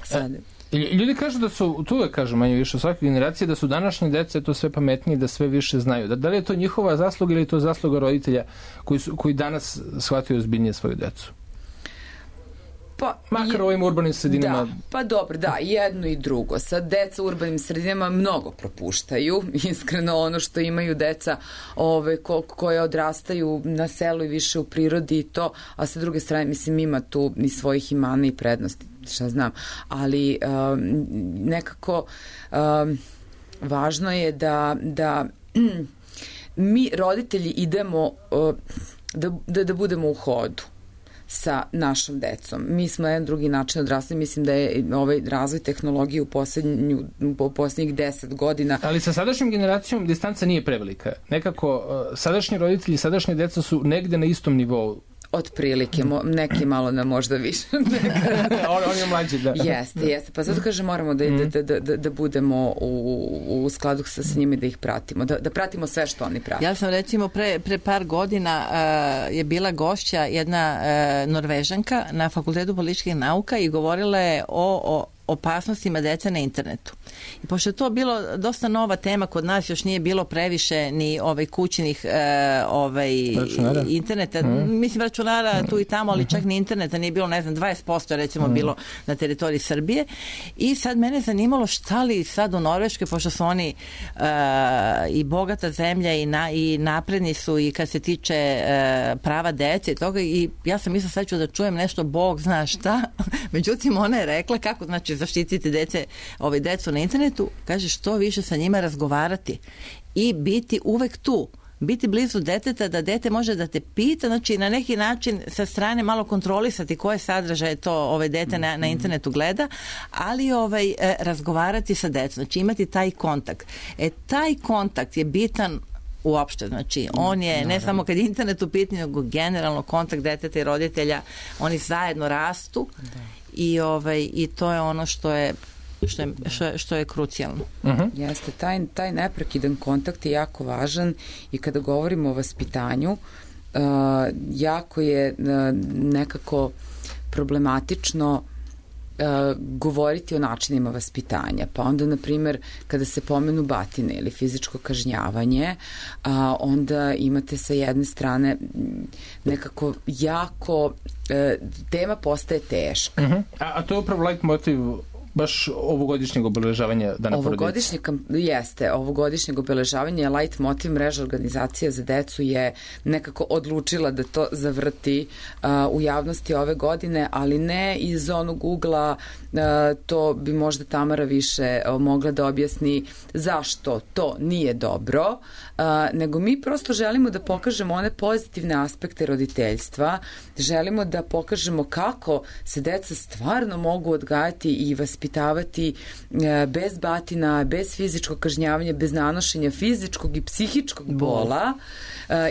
Sad. E, ljudi kažu da su, tu uvek kažu manje više u svakoj generaciji, da su današnje dece to sve pametniji, da sve više znaju. Da, da li je to njihova zasluga ili je to zasluga roditelja koji, su, koji danas shvataju ozbiljnije svoju decu? Pa, makar u ovim urbanim sredinama. Da, pa dobro, da, jedno i drugo. Sad, deca u urbanim sredinama mnogo propuštaju. Iskreno, ono što imaju deca ove, ko, koje odrastaju na selu i više u prirodi i to, a sa druge strane, mislim, ima tu i svojih imana i prednosti, šta znam. Ali um, nekako um, važno je da, da um, mi, roditelji, idemo uh, da, da, da budemo u hodu sa našom decom. Mi smo na jedan drugi način odrasli, mislim da je ovaj razvoj tehnologije u poslednju, u poslednjih deset godina. Ali sa sadašnjom generacijom distanca nije prevelika. Nekako, uh, sadašnji roditelji, sadašnje deca su negde na istom nivou. Otprilike, mo, neki malo na možda više. on, on je mlađi, da. Jeste, jeste. Pa zato kažem, moramo da, mm. da, da, da, da budemo u, u skladu sa, sa njima i da ih pratimo. Da, da pratimo sve što oni prate. Ja sam recimo pre, pre par godina uh, je bila gošća jedna uh, Norvežanka na Fakultetu političkih nauka i govorila je o, o opasnostima deca na internetu. I pošto je to bilo dosta nova tema kod nas, još nije bilo previše ni ovaj kućnih e, ovaj interneta, mm. mislim računara tu i tamo, ali čak ni interneta nije bilo, ne znam, dvadeset posto recimo mm. bilo na teritoriji Srbije. I sad mene zanimalo šta li sad u Norveškoj, pošto su oni e, i bogata zemlja i, na, i napredni su i kad se tiče e, prava dece i toga, i ja sam mislila sad ću da čujem nešto, Bog zna šta, međutim ona je rekla kako, znači zaštititi dece, ovaj decu na internetu, kaže što više sa njima razgovarati i biti uvek tu, biti blizu deteta, da dete može da te pita, znači na neki način sa strane malo kontrolisati koje sadržaje to ovaj dete na, na internetu gleda, ali ovaj e, razgovarati sa decom, znači imati taj kontakt. E, taj kontakt je bitan uopšte, znači on je ne samo kad je internet u pitanju, nego generalno kontakt deteta i roditelja, oni zajedno rastu. Da. I ovaj i to je ono što je što je, što, što je krucijalno. Uh-huh. Jeste, taj, taj neprekidan kontakt je jako važan i kada govorimo o vaspitanju, uh, jako je uh, nekako problematično Uh, govoriti o načinima vaspitanja. Pa onda, na primjer, kada se pomenu batine ili fizičko kažnjavanje, uh, onda imate sa jedne strane nekako jako uh, tema postaje teška. Uh-huh. A, a to je upravo like motiv baš ovogodišnjeg obeležavanja Dana porodice. Ovogodišnjeg, jeste, ovogodišnjeg obeležavanja light motiv mreža organizacija za decu je nekako odlučila da to zavrti uh, u javnosti ove godine, ali ne iz onog ugla, uh, to bi možda Tamara više uh, mogla da objasni zašto to nije dobro, uh, nego mi prosto želimo da pokažemo one pozitivne aspekte roditeljstva, želimo da pokažemo kako se deca stvarno mogu odgajati i vaspitavati bez batina, bez fizičkog kažnjavanja, bez nanošenja fizičkog i psihičkog bola,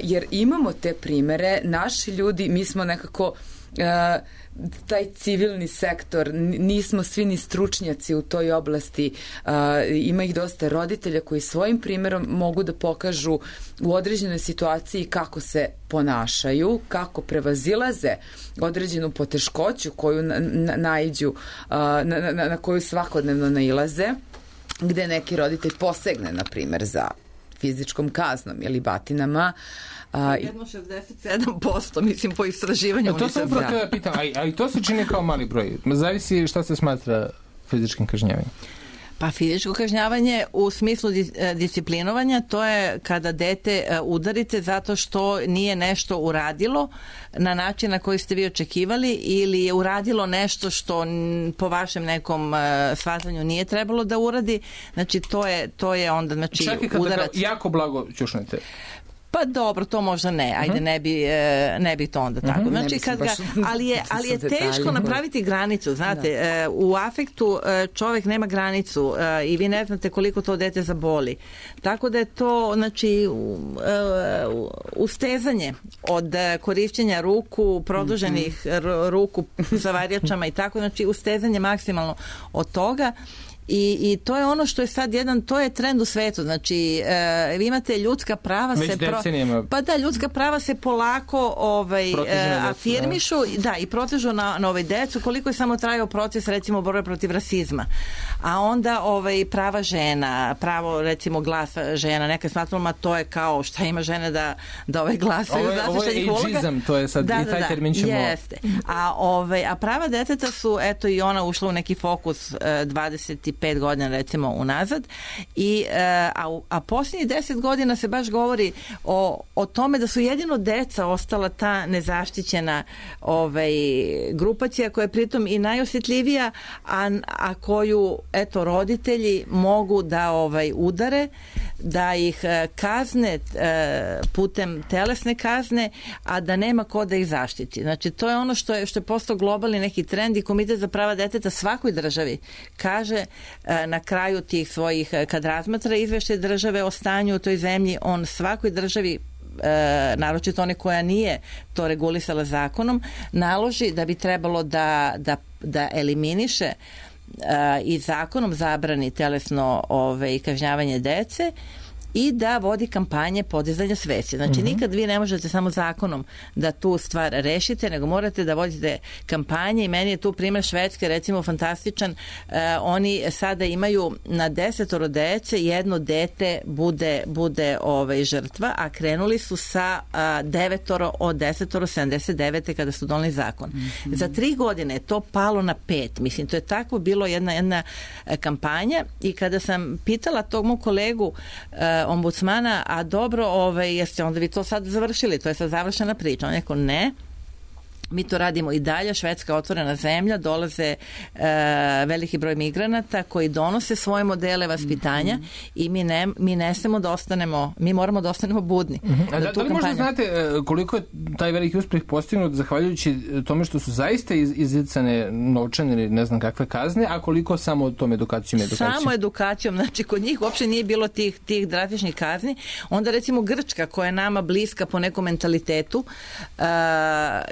jer imamo te primere, naši ljudi, mi smo nekako taj civilni sektor, nismo svi ni stručnjaci u toj oblasti, ima ih dosta roditelja koji svojim primjerom mogu da pokažu u određenoj situaciji kako se ponašaju, kako prevazilaze određenu poteškoću koju na, na, naiđu, na, na, na koju svakodnevno nailaze, gde neki roditelj posegne, na primjer, za fizičkom kaznom ili batinama. Jedno šezdeset sedam posto, mislim, po istraživanju. To sam upravo da pitam, a i to se čini kao mali broj. Zavisi šta se smatra fizičkim kažnjavanjem. Pa fizičko kažnjavanje u smislu disciplinovanja, to je kada dete udarite zato što nije nešto uradilo na način na koji ste vi očekivali ili je uradilo nešto što po vašem nekom shvatanju nije trebalo da uradi. Znači to je, to je onda znači, čak i kada udarac. Ga jako blago ćušnete. Pa dobro, to možda ne, ajde, ne bi, ne bi to onda tako. Znači, kad ga, ali je, ali je teško napraviti granicu, znate, u afektu čovjek nema granicu i vi ne znate koliko to dete zaboli. Tako da je to, znači, ustezanje od korišćenja ruku, produženih ruku sa varjačama i tako, znači ustezanje maksimalno od toga. I, i to je ono što je sad jedan, to je trend u svetu, znači e, vi imate ljudska prava već se pro, decenijama. pa da, ljudska prava se polako ovaj, e, afirmišu, da. da, i protežu na, na ovaj decu, koliko je samo trajao proces recimo borbe protiv rasizma, a onda ovaj, prava žena, pravo recimo glasa žena, neka smatramo, to je kao šta ima žene da, da ovaj glasaju, ovo je ageizam, to je sad da, i taj da, termin ćemo... Jeste, a, ovaj, a prava deteta su, eto i ona ušla u neki fokus e, dvadeset pet godina recimo unazad i a, a posljednjih deset godina se baš govori o, o tome da su jedino deca ostala ta nezaštićena ovaj, grupacija koja je pritom i najosjetljivija, a, a koju eto roditelji mogu da ovaj, udare, da ih kazne putem telesne kazne, a da nema ko da ih zaštiti. Znači to je ono što je, što je postao globalni neki trend i Komitet za prava deteta svakoj državi kaže na kraju tih svojih, kad razmatra izveštaj države o stanju u toj zemlji, on svakoj državi, e, naročito one koja nije to regulisala zakonom, naloži da bi trebalo da, da, da eliminiše e, i zakonom zabrani telesno ove, kažnjavanje dece i da vodi kampanje podizanja svesti. Znači, mm-hmm. nikad vi ne možete samo zakonom da tu stvar rešite, nego morate da vodite kampanje i meni je tu primjer Švedske, recimo, fantastičan. E, oni sada imaju na desetoro dece, jedno dete bude, bude ovaj, žrtva, a krenuli su sa a, devetoro od desetoro sedamdeset devete kada su doneli zakon. Mm-hmm. Za tri godine je to palo na pet. Mislim, to je tako bilo jedna, jedna kampanja i kada sam pitala tog mog kolegu e, ombudsmana, a dobro, ovaj, jeste onda vi to sad završili, to je sad završena priča. On je rekao, ne, mi to radimo i dalje, Švedska je otvorena zemlja, dolaze e, veliki broj migranata koji donose svoje modele vaspitanja mm-hmm. i mi ne, mi ne smemo da ostanemo, mi moramo da ostanemo budni. Mm-hmm. A da, da li možda znate koliko je taj veliki uspeh postignut zahvaljujući tome što su zaista iz, izricane novčane ili ne znam kakve kazne, a koliko samo tom edukacijom edukacijom? Samo edukacijom, znači kod njih uopšte nije bilo tih, tih drastičnih kazni. Onda recimo Grčka koja je nama bliska po nekom mentalitetu, uh,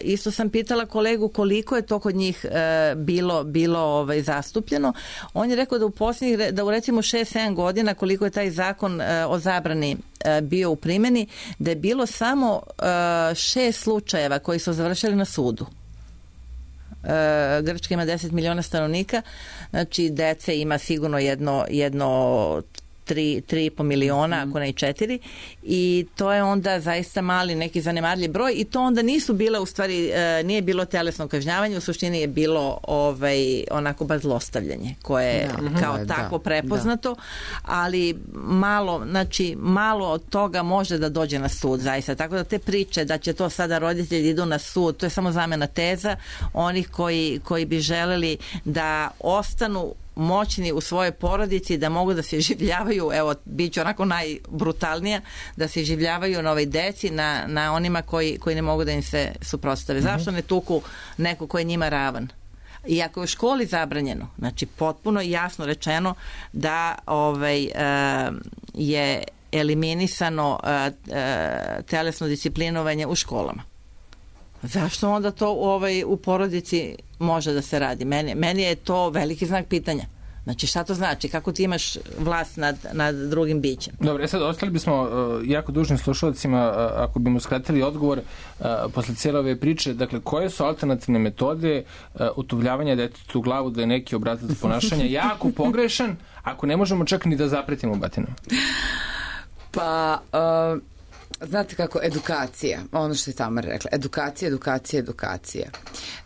isto sam pitala kolegu koliko je to kod njih e, bilo, bilo ovaj, zastupljeno. On je rekao da u posljednjih, da u recimo šest sedam godina koliko je taj zakon e, o zabrani e, bio u primjeni, da je bilo samo e, šest slučajeva koji su završili na sudu. E, Grčka ima deset miliona stanovnika, znači dece ima sigurno jedno, jedno tri, tri i po miliona, mm. ako ne i četiri, i to je onda zaista mali, neki zanemarljiv broj i to onda nisu bile, u stvari, e, nije bilo telesno kažnjavanje, u suštini je bilo ovaj, onako baš zlostavljanje, koje je da, kao da, tako prepoznato, da. Ali malo, znači, malo od toga može da dođe na sud, zaista. Tako da te priče da će to sada roditelji idu na sud, to je samo zamena teza onih koji, koji bi želeli da ostanu moćni u svojoj porodici, da mogu da se življavaju, evo, bit ću onako najbrutalnija, da se življavaju na ovoj deci, na, na onima koji, koji ne mogu da im se suprotstave. Mm-hmm. Zašto ne tuku neko ko je njima ravan? I ako je u školi zabranjeno, znači potpuno jasno rečeno da ovaj, uh, je eliminisano uh, uh, telesno disciplinovanje u školama. Zašto onda to ovaj, u porodici može da se radi? Meni, meni je to veliki znak pitanja. Znači, šta to znači? Kako ti imaš vlast nad, nad drugim bićem? Dobro, e sad ostali bismo uh, jako dužni slušalcima uh, ako bi mu skratili odgovor uh, posle cijele ove priče. Dakle, koje su alternativne metode uh, utuvljavanja detetu u glavu da je neki obrazac ponašanja jako pogrešan, ako ne možemo čak ni da zapretimo batinom? Pa, uh, znate kako, edukacija, ono što je Tamara rekla, edukacija, edukacija, edukacija.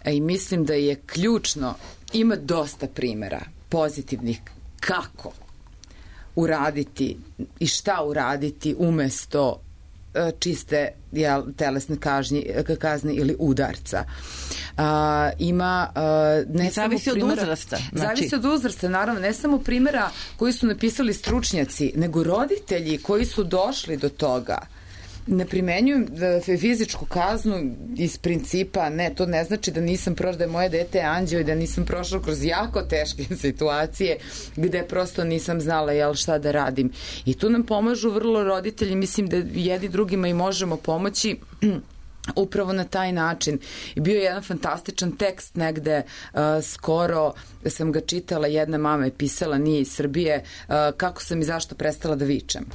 E, I mislim da je ključno, ima dosta primjera pozitivnih kako uraditi i šta uraditi umesto čiste jel, telesne kažnje, kazne ili udarca. A, ima a, ne zavisi samo primjera, od uzrasta. Znači... Zavisi od uzrasta, naravno, ne samo primjera koji su napisali stručnjaci, nego roditelji koji su došli do toga. Ne primenjujem fizičku kaznu iz principa, ne, to ne znači da nisam prošla, da je moje dete anđeo i da nisam prošla kroz jako teške situacije gde prosto nisam znala jel, šta da radim. I tu nam pomažu vrlo roditelji, mislim da jedni drugima i možemo pomoći upravo na taj način. I bio je jedan fantastičan tekst negde uh, skoro sam ga čitala, jedna mama je pisala, nije iz Srbije, uh, kako sam i zašto prestala da vičem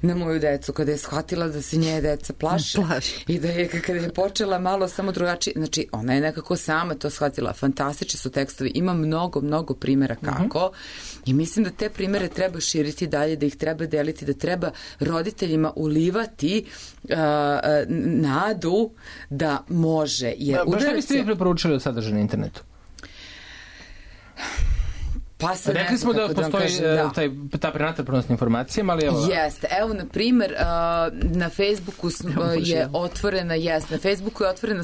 na moju decu, kada je shvatila da se nje deca plaše. Plaši. I da je, kada je počela malo samo drugačije, znači ona je nekako sama to shvatila. Fantastični su tekstovi, ima mnogo, mnogo primjera kako uh-huh. i mislim da te primjere treba širiti dalje, da ih treba deliti, da treba roditeljima ulivati uh, nadu da može. Jer ba, šta biste vi preporučili od sadržaja na internetu? Pa se rekli smo da postoji da kažem, da. Taj, ta prenatrpanost informacijama, ali evo... Jeste. Evo, na primjer, na Facebooku je otvorena, jest, na Facebooku je otvorena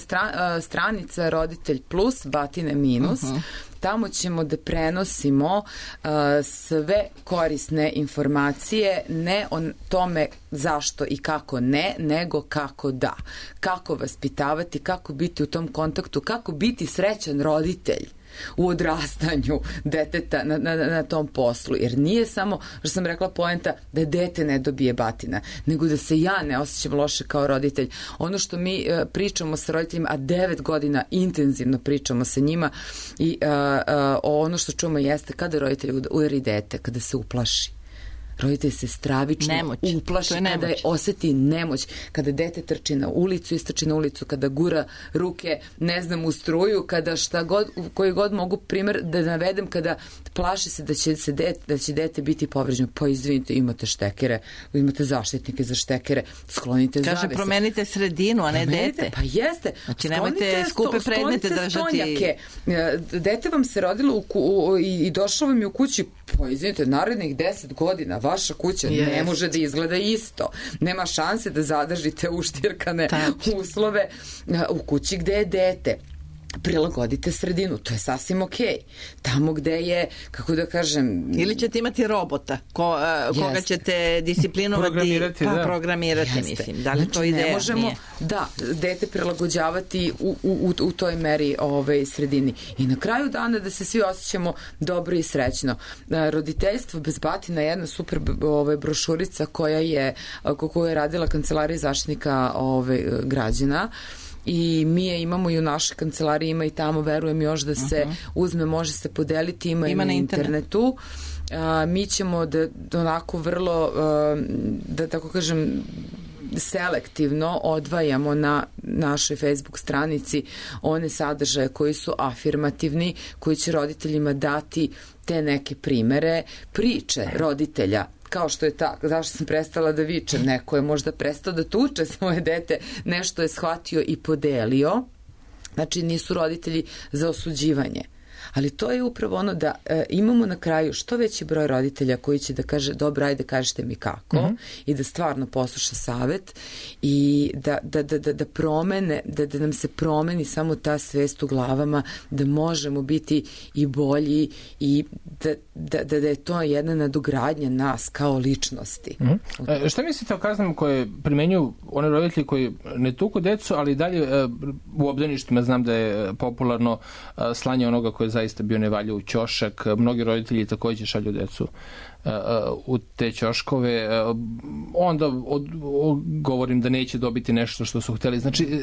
stranica Roditelj plus, Batine minus. Uh-huh. Tamo ćemo da prenosimo uh, sve korisne informacije, ne o tome zašto i kako ne, nego kako da. Kako vaspitavati, kako biti u tom kontaktu, kako biti srećan roditelj u odrastanju deteta na, na, na tom poslu. Jer nije samo, što sam rekla, poenta da dete ne dobije batina, nego da se ja ne osjećam loše kao roditelj. Ono što mi uh, pričamo sa roditeljima, a devet godina intenzivno pričamo sa njima i uh, uh, ono što čujemo jeste kada roditelj udari dete, kada se uplaši. Roditelj se stravično nemoć. uplaši je kada je oseti nemoć, kada dete trči na ulicu, istrči na ulicu, kada gura ruke, ne znam, u struju, kada šta god, koji god mogu primjer da navedem, kada plaši se da će, se dete, da će dete biti povređeno. Pa izvinite, imate štekere, imate zaštitnike za štekere, sklonite Kaže, zavese. Kaže, promenite sredinu, a ne promenite, dete. Pa jeste. Znači, nemojte skupe sto, predmete držati. Stonjake. Dete vam se rodilo u ku, u, i, i došlo vam je u kući, pa izvinite, narednih deset godina vaša kuća yes. ne može da izgleda isto. Nema šanse da zadržite uštirkane Tač. uslove u kući gde je dete. Prilagodite sredinu, to je sasvim okej. Okay. Tamo gde je, kako da kažem... Ili ćete imati robota ko, uh, koga Jeste. ćete disciplinovati, programirati, pa, da. programirati mislim. Da li znači, to ideja? Ne možemo, Nije. da, dete prilagođavati u, u, u toj meri ove, sredini. I na kraju dana da se svi osjećamo dobro i srećno. Roditeljstvo bez batina je jedna super ove, brošurica koja je, koju je radila Kancelarija zaštitnika ove, građana. I mi je imamo i u našoj kancelariji, ima i tamo, verujem još da se uh-huh. uzme, može se podeliti, ima, ima i na internetu. A, mi ćemo da, da onako vrlo, a, da tako kažem, selektivno odvajamo na našoj Facebook stranici one sadržaje koji su afirmativni, koji će roditeljima dati te neke primere, priče roditelja, kao što je ta, zašto sam prestala da vičem, neko je možda prestao da tuče svoje dete, nešto je shvatio i podelio. Znači nisu roditelji za osuđivanje. Ali to je upravo ono da e, imamo na kraju što veći broj roditelja koji će da kaže dobro, ajde kažete mi kako mm-hmm. i da stvarno posluša savet i da, da, da, da, da promene, da, da nam se promeni samo ta svest u glavama, da možemo biti i bolji i da, da, da, da je to jedna nadogradnja nas kao ličnosti. Mm-hmm. E, šta mislite o kaznama koje primenjuju one roditelji koji ne tuku decu, ali dalje e, u obdaništima znam da je popularno e, slanje onoga koje je zaista bio nevalja u ćošak. Mnogi roditelji takođe šalju decu uh, u te ćoškove. Uh, onda od, od, govorim da neće dobiti nešto što su hteli. Znači,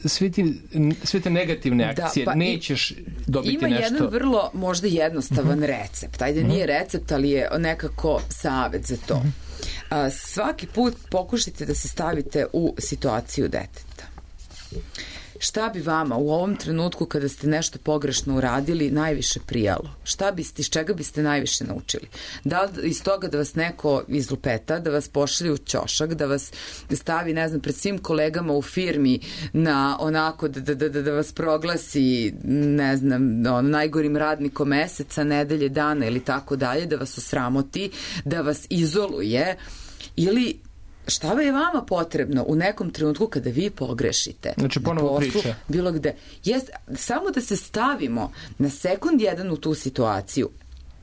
svi ti, sve te negativne akcije, da, pa nećeš dobiti ima nešto. Ima jedan vrlo možda jednostavan uh-huh. recept. Ajde, uh-huh. nije recept, ali je nekako savet za to. Uh-huh. Uh, svaki put pokušajte da se stavite u situaciju deteta. šta bi vama u ovom trenutku kada ste nešto pogrešno uradili najviše prijalo? Šta biste, iz čega biste najviše naučili? Da li iz toga da vas neko izlupeta, da vas pošalje u ćošak, da vas stavi, ne znam, pred svim kolegama u firmi na onako da, da, da, da vas proglasi, ne znam, on, najgorim radnikom meseca, nedelje, dana ili tako dalje, da vas osramoti, da vas izoluje, ili šta je vama potrebno u nekom trenutku kada vi pogrešite? Znači, ponovo priča. Bilo gde. Jest, samo da se stavimo na sekund jedan u tu situaciju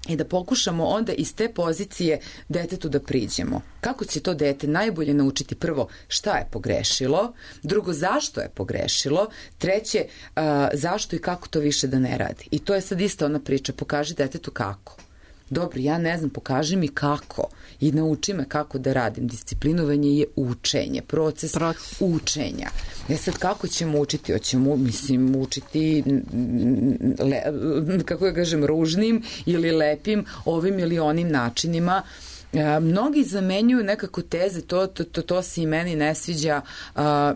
i da pokušamo onda iz te pozicije detetu da priđemo. Kako će to dete najbolje naučiti? Prvo, šta je pogrešilo, drugo, zašto je pogrešilo, treće, uh, zašto i kako to više da ne radi. I to je sad isto ona priča, pokaži detetu kako. Dobro, ja ne znam, pokaži mi kako i nauči me kako da radim. Disciplinovanje je učenje, proces, proces. učenja. E sad, kako ćemo učiti? Hoćemo, mislim, učiti le, kako ja kažem, ružnim ili lepim ovim ili onim načinima. E, mnogi zamenjuju nekako teze, to, to, to, to se i meni ne sviđa, a,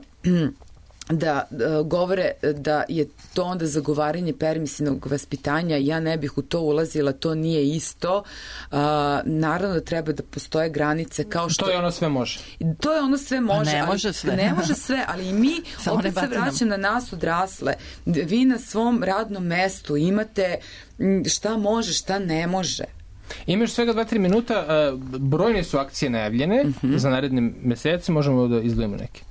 da uh, govore da je to onda zagovaranje permisivnog vaspitanja. Ja ne bih u to ulazila, to nije isto. Uh, naravno da treba da postoje granice kao što... To je ono sve može. To je ono sve može. Ne ali, može sve. Ne može sve, ali i mi opet se vraćam na nas odrasle. Vi na svom radnom mestu imate šta može, šta ne može. Imaš svega dva tri minuta, brojne su akcije najavljene uh-huh. za naredne mesece, možemo da izdvojimo neke.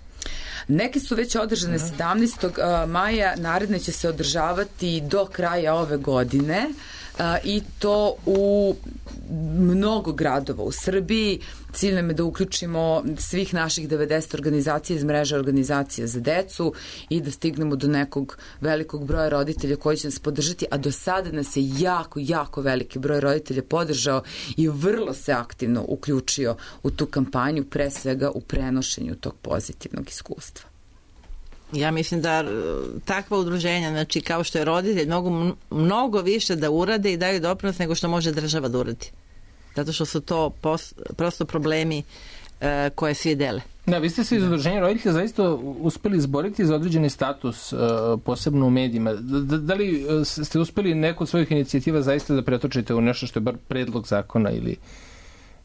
Neke su već održane sedamnaestog maja, naredne će se održavati do kraja ove godine i to u mnogo gradova u Srbiji. Cilj nam je da uključimo svih naših devedeset organizacija iz mreže organizacija za decu i da stignemo do nekog velikog broja roditelja koji će nas podržati, a do sada nas je jako, jako veliki broj roditelja podržao i vrlo se aktivno uključio u tu kampanju, pre svega u prenošenju tog pozitivnog iskustva. Ja mislim da takva udruženja, znači kao što je roditelj, mnogo, mnogo više da urade i daju doprinos nego što može država da uradi. Zato što su to pos, prosto problemi e, koje svi dele. Da, vi ste se iz udruženja roditelja zaista uspeli izboriti za određeni status, e, posebno u medijima. Da, da li ste uspeli neku od svojih inicijativa zaista da pretočite u nešto što je bar predlog zakona ili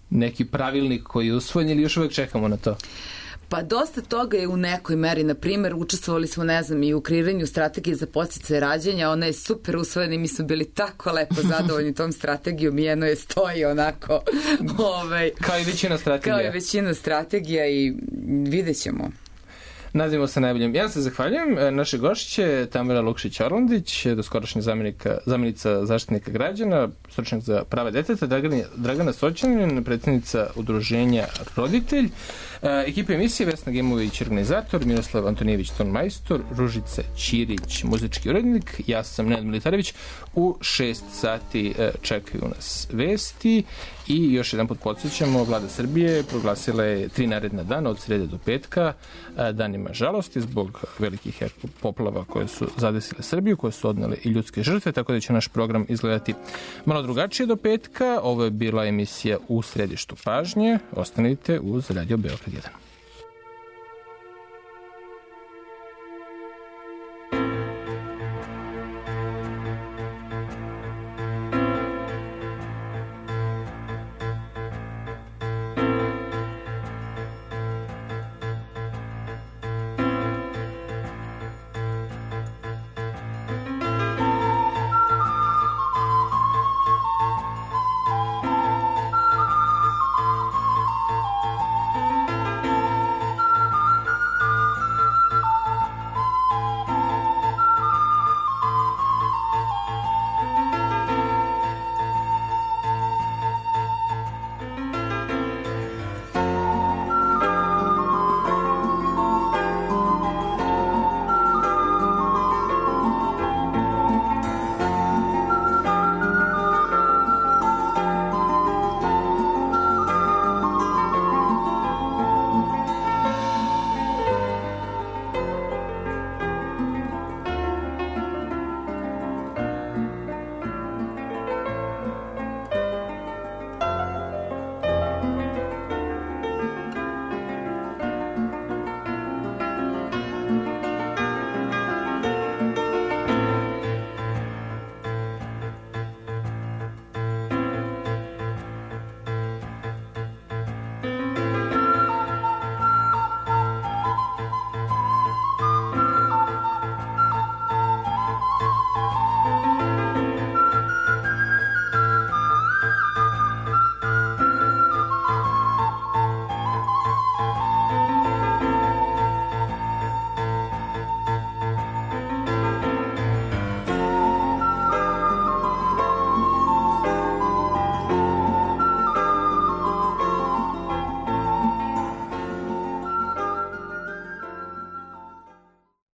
neki pravilnik koji je usvojen ili još uvek čekamo na to? Pa dosta toga je u nekoj meri. Na primjer, učestvovali smo, ne znam, i u kreiranju strategije za podsticaje rađanja. Ona je super usvojena i mi smo bili tako lepo zadovoljni tom strategijom i jedno je stoji onako. ovaj, kao i većina strategija. Kao i većina strategija i vidjet ćemo. Nadimo se najboljim. Ja se zahvaljujem. Naše gošće Tamara Lukšić-Orlandić, doskorašnja zamjenica zaštitnika građana, stručnjak za prava deteta, Dragana, Dragana Soćanin, predsjednica udruženja Roditelj, ekipa emisije Vesna Gemović, organizator, Miroslav Antonijević, ton majstor, Ružica Ćirić, muzički urednik, ja sam Nenad Militarević. U šest sati čekaju nas vesti i još jedan put podsjećamo, Vlada Srbije proglasila je tri naredna dana od srede do petka danima žalosti zbog velikih poplava koje su zadesile Srbiju, koje su odnele i ljudske žrtve, tako da će naš program izgledati malo drugačije do petka. Ovo je bila emisija U središtu pažnje. Ostanite uz Radio Beograd jedan.